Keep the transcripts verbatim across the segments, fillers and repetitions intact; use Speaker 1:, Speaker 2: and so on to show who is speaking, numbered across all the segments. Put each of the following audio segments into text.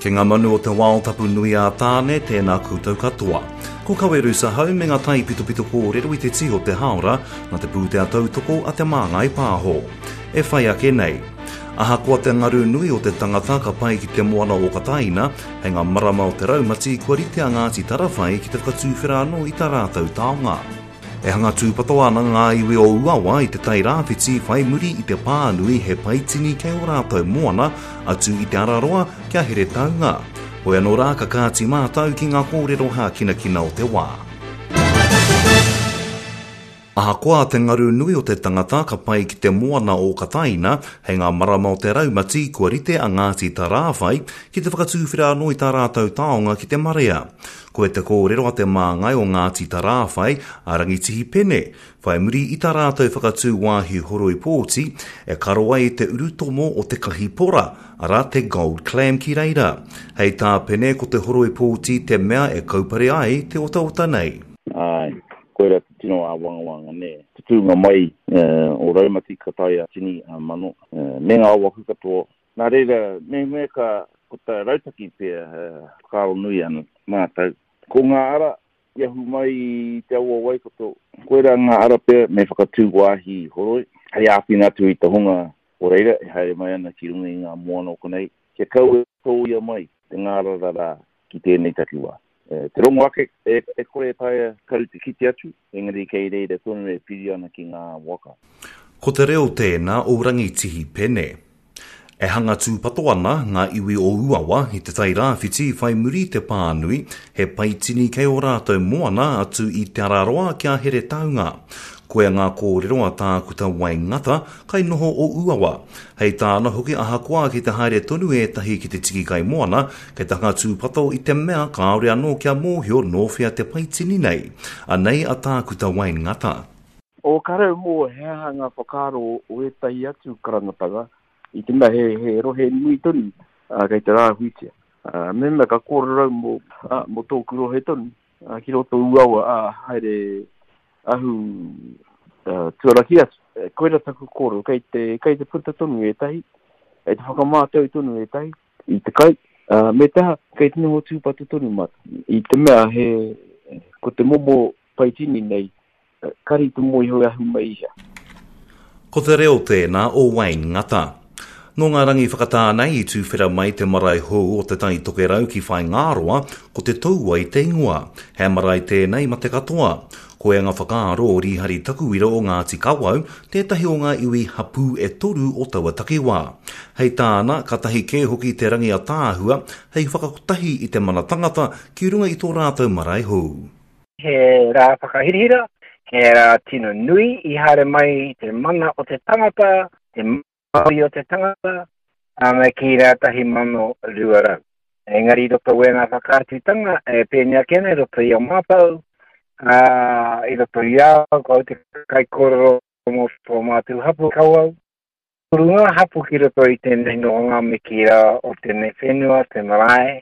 Speaker 1: Ki ngā manu o te wao tapu nui a Tāne, tēnā koutou katoa. Ko Kawerusa hau me ngā taipitopito kōrero i te tī o te haora, nā te pūtea tautoko a Te Māngai Pāho. E whai ake nei. Ahakoa te ngaru nui o te tangata ka pai ki te moana o Kataina, hei ngā marama o te raumati kua rite a Ngāti Tarawhai ki te whakatūwhera anō i tā rātou taonga. E hanga tūpato ana ngā iwi o Uawa i te tai rāwhiti whai muri i te pānui he paitini kei o rātou moana atu i Te Araroa kia Heretaunga. Hoi anō rā ka kāti mātau ki ngā kōrero hākinakina o te wā. Ahakoa te ngaru nui o te tangata ka pai ki te moana o Kataina, hei ngā marama o te raumati kua rite a Ngāti Tarāwhai ki te whakatūwhera anō i tā rātou taonga ki te marea. Koe te kōrero a te māngai o Ngāti Tarāwhai a Rangitihi Pene, whai muri i tā rātou whakatū wāhi horoi pōti, e karo ai te urutomo o te kahipora, arā te gold clam ki reira. Hei tā Pene ko te horoi pōti te mea e kaupare ai te otaota nei.
Speaker 2: Ai, koira te tino āwangawanga, nē. Te tūnga mai uh, o raumati ka tae a tini a mano, uh, me ngā waku katoa. Nā reira, me me ka ko tā rautaki pea uh, whakaaro nui ana mātou. Ko ngā ara i ahu mai i te awa Waikato, koira ngā ara pea me whakatū wāhi horoi, hei āwhina atu i te hunga o reira e haere mai ana ki runga i ngā moana o konei, kia kaua e tōia mai te ngārara rā ki tēnei takiwā. Te rongo ake, e, e kore e taea karu te kite atu, engari kei reira tonu e piri ana ki ngā waka.
Speaker 1: Ko te reo tēnā o Rangitihi Pene. E hanga tūpato ana ngā iwi o Uawa i te tai rāwhiti whai muri te pānui, he paitini kei o rātou moana atu i Te Araroa kia Heretaunga. Koia ngā kōrero a Tākuta Waingata, kai noho o Uawa. Hei tāna hoki ahakoa ki te haere tonu ētahi ki te tiki kai moana, kei te hanga tūpato i te mea kāore anō kia mōhio nō whea te paitini nei. Anei a Tākuta Waingata.
Speaker 3: O karau mō he aha ngā whakaaro o ētahi atu karangatanga, i te mea he, he rohe nui tonu uh, kei te rāhuitia. Uh, me mea ka kōrero mō, uh, mō tōku rohe tonu, uh, ki roto Uawa, uh, haere ahu uh, tuaraki atu. Koira taku kōrero, kei te, kei te puta tonu ētahi, kei te whakamātau tonu ētahi, i te kai, uh, me te aha, kei te noho tūpato tonu mātou. I te mea he, ko te momo paitini nei, kari te mōhio e ahu mai i hea.
Speaker 1: Ko te reo tēnā o Wayne Ngata. Nō ngā rangi whakatā nei i tūwhera mai te marae hou o te Tai Tokerau ki Whaingāroa, ko te Tauai te ingoa. He marae tēnei ma te katoa. Koia ngā whakaaro o Rihari Takuira o Ngāti Kawau, tētahi o ngā iwi hapū e toru o taua takiwā. Hei tāna, ka tahi kē hoki te rangi ataahua, hei whakakotahi i te mana tangata ki runga i tō rātou marae hou.
Speaker 4: He rā whakahirahira, he rā tino nui i haere mai te mana o te tangata, te mauri o te tangata, a me ki rā tahi mano rua rau. Engari i roto wē ngā whakaatutanga, e pēnei ake nei, roto i a mātou, a, i roto i au, ko au te kaikōrero mō tō mātou hapu Kawau. Toru ngā hapu ki roto i tēnei nohonga me ki rā o tēnei whenua, te marae,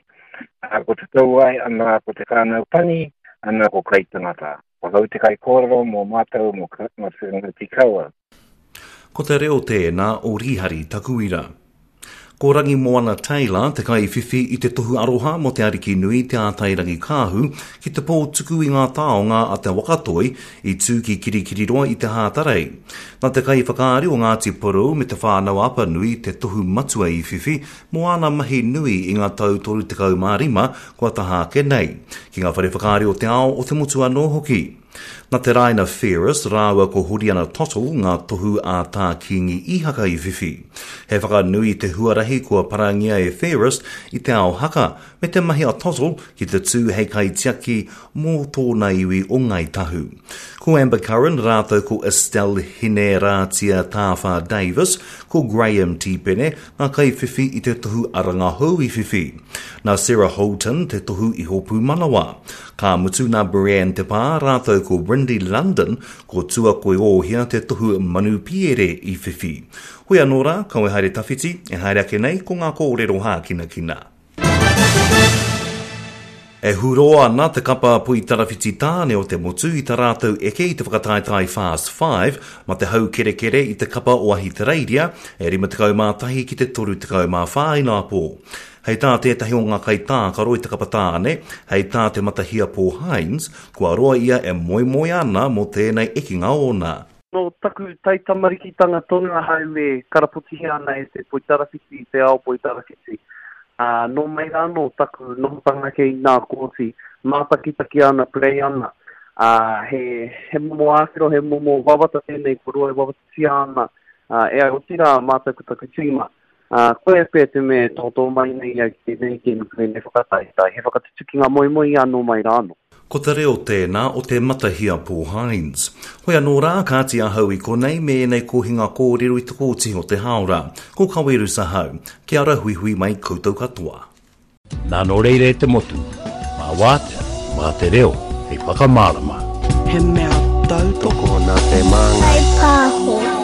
Speaker 4: a, ko te Tauai, ana ko te whānau pani, ana ko kaitangata. Ko au te kaikōrero mō mātou, mō, mō te Ngāti Kawau.
Speaker 1: Ko te reo tēnā o Rihari Takuira. Ko Rangimoana Taylor te kaiwhiwhi i te tohu aroha mō te Ariki Nui Te Ātairangi Kāhu ki te pō tuku i ngā taonga a te Wakatoi i tū ki Kirikiriroa i te Hātarei. Nā te kaiwhakaari o Ngāti Porou me te whānau Apanui te tohu matua i whiwhi mō āna mahi nui i ngā tau toru tekau mā rima kua taha ake nei, ki ngā whare whakaari o te ao o te motu anō hoki. Nā te Raina Ferris rāua ko Horiana Tottle ngā tohu a tā Kingi Ihaka i whiwhi. He whakanui te huarahi kua parangia e Ferris i te ao haka, me te mahi a Tottle ki te tū hei kaitiaki mō tōna iwi o Ngāi Tahu. Ko Amber Curran rātou ko Estelle Hinerātia Tāwhā Davis, ko Graham Tipene ngā kaiwhiwhi i te tohu aranga hou i whiwhi. Nā Sarah Holton te tohu iho pūmanawa. Ka mutu nā Brianne Te Pā rātou ko Brindy London, ko Tua Koiōhia te tohu manu piere i whiwhi. Hoi anō rā, kawe haere tawhiti, e haere ake nei ko ngā kōrero hākinakina. E huro ana te kapa poitarawhiti tāne o te motu i ta rātou eke i te whakataetae Fast Five ma te hau kerekere i te kapa o Ahitereiria e rima tekau mā tahi ki te toru tekau mā whā inapō. Hei tā tētahi o ngā kaitākaro i te kapa tāne, hei tā te Matahia Paul Hines, kua roa ia e moemoe ana mō tēnei ekinga ōna.
Speaker 5: Nō taku taitamarikitanga tonu ahau e karapotihia ana e te poitarawhiti, te ao poitarawhiti. Uh, nō mai rānō taku nohotanga kei nā kōti, mātakitaki ana, play ana. Uh, he, he momo āwhero, he momo wawata tēnei ko roa e wawatatia ana. Uh, e ai otirā mātou ko taku tīma. Uh, koe pē te me tōtō mai nei au ki tēnei kēmu tēnei whakataetae. He whakatutukinga moemoe anō mai rānō.
Speaker 1: Ko te reo tēnā o te Matahia Paul Hines. Hoi anō rā, kāti ahau i konei me ēnei kohinga kōrero i te kōti o te hāora. Ko Kaweru Sahau. Kia ora huihui mai koutou katoa.
Speaker 6: Nā nō reira e te motu, mā wātea, mā te reo, hei whakamārama.
Speaker 7: He mea tautoko
Speaker 8: nā te māngai.
Speaker 9: Kai pāho.